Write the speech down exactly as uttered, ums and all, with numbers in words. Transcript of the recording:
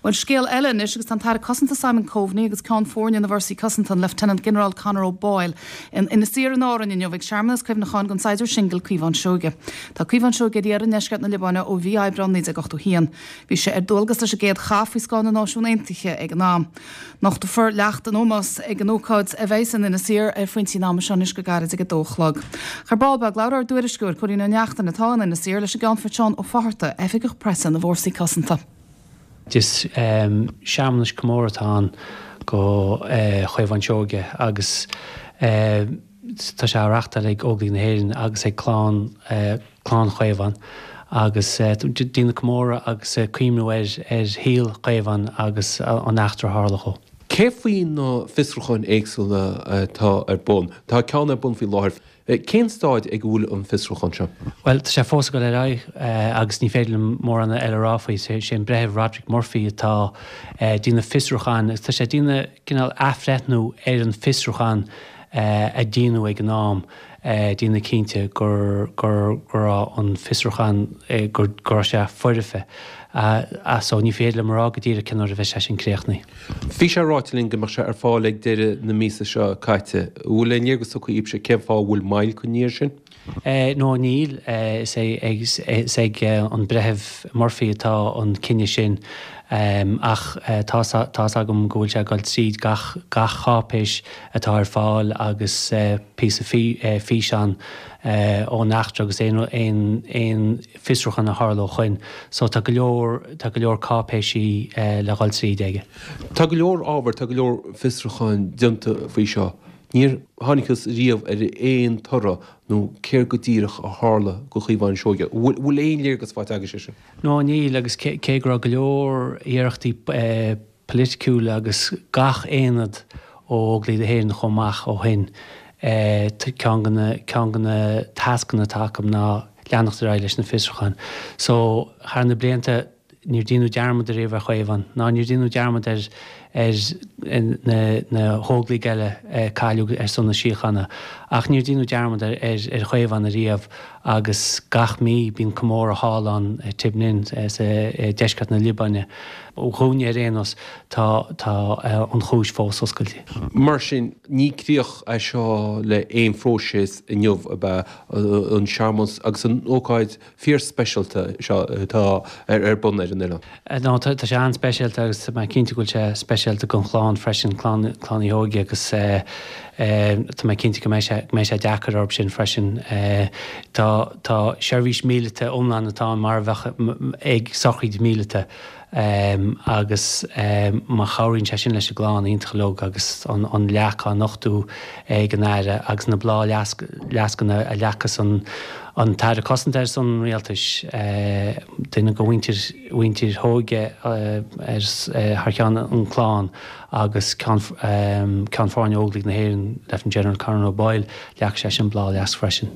Bhuel scéal eile anois agus tá an tAire Cosanta Simon Coveney agus Ceann Foirne na bhFórsaí Cosanta an Lieutenant General Conor O'Boyle in Inis Oírr in Árainn inniu ag searmanas cuimhneacháin don saighdiúir singil Caomhán Seoige. Tá Caomhán Seoige ar iarraidh i ndeisceart na Liobáine ó mhí Aibreáin naoi déag ochtó haon. Bhí sé ar dualgas leis an gcéad chath faoi scáth na Náisiún Aontaithe ag an am. Nochtfar leacht in ómós ag an ócáid a bheidh in Inis Oírr ar phointí an ama seo anois go gairid ag a dó a chlog. Ar ball beag labhair ár dtuairisceoir Cóilín Ó Neachtain atá in Inis Oírr leis an gCeannfort Seán Ó Fatharta, oifigeach preasa na bhFórsaí Cosanta. Is um, searmanas comórtha atá ann do uh, Chaomhán Seoige agus uh, tá sé á reáchtáil ag Óglaigh na hÉireann agus ag clann uh, clann Chaomhán agus uh, déanamh comóradh agus uh, cuimhniú ar ar shaol Chaomhán agus uh, an eachtra a tharla dó. Cé faoi na fiosrúcháin éagsúla atá ar bun, Tá ceann ar bun faoi láthair. Cén staid ag bhfuil an fiosrúchán seo? Well tá sé fós ag dul ar aghaidh agus ní féidir mórán eile a rá faoi sé sé an Breitheamh Roderick Murphy atá déanamh fiosrúchán, tá sé déanamh cineál athbhreithniú ar an fiosrúchán a déanadh ag an am déanamh cinnte gur gur gur an fiosrúchán gur gur sé foirfe. So ní féidir liom rá go díreach cén uair a bheidh sé sin críochnaithe. Bhí sé ráite linn go mbeadh sé ar fáil ag deireadh na míosa seo caite. Bhfuil aon léargas tugtha agaibhse cén fáth bhfuil moill curtha air sin? No níl is é ag an Breitheamh Murphy atá an cinneadh sin ach tá tá agam go bhfuil sé ag dul tríd gach gach cáipéis atá ar fáil agus píosa físeán ón eachtra agus aon aon aon fiosrúchán a tharla ó shin, so tá go leor tá go leor cáipéisí le dhul tríd aige. Tá go leor ábhar tá go leor fiosrúcháin déanta faoi seo. Níor thángthas riamh ar aon toradh nó céard go díreach a tharla do Chaomhán Seoige. Bhfuil aon léargas faighte agaibhse sin? No níl agus cé go raibh go leor iarrachtaí polaitiúla agus gach aonad ó Óglaigh na hÉireann chomh maith ó shin ceann ceann de na tascanna atá acu ná leanacht ar aghaidh leis na fiosrúcháin. So thar na blianta níor déanadh dearmad ariamh ar Chaomhán, ná níor déanadh dearmad ar ar na na hóglaigh eile cailleadh ar son na síochána, ach níor déanadh dearmad ar ar Chaomhán ariamh agus gach mí bíonn comóradh thall ann Tibnin sa deisceart na Liobáine. Ó dhúine ar aon nós tá tá an chúis fós oscailte. Mar sin ní críoch é seo le aon phróiseas inniu ab ea an searmanas agus an ócáid fíorspeisialta seo atá ar ar bun ar an oileán. No tá sé an-speisialta agus tá mé cinnte go bhfuil sé speisialta don chlann freisin clann clann Uí Sheoige agus tá mé cinnte go mbeidh sé go mbeidh sé deacair orthu sin freisin. Tá tá seirbhís míleata iomlán atá mar a bheadh ag sochraid míleata agus má chabhraíonn sé sin leis an gclann iontach uilig agus an an leac á nochtadh ag an aire agus na bláthfhleascanna a leagfas an an tAire Cosanta ar son rialtais duine de mhuintir mhuintir Sheoige ar thar ceann an clann agus ceann ceann foirne Óglaigh na hÉireann Lieutenant General Conor O'Boyle leag sé sin bláthfhleasc freisin.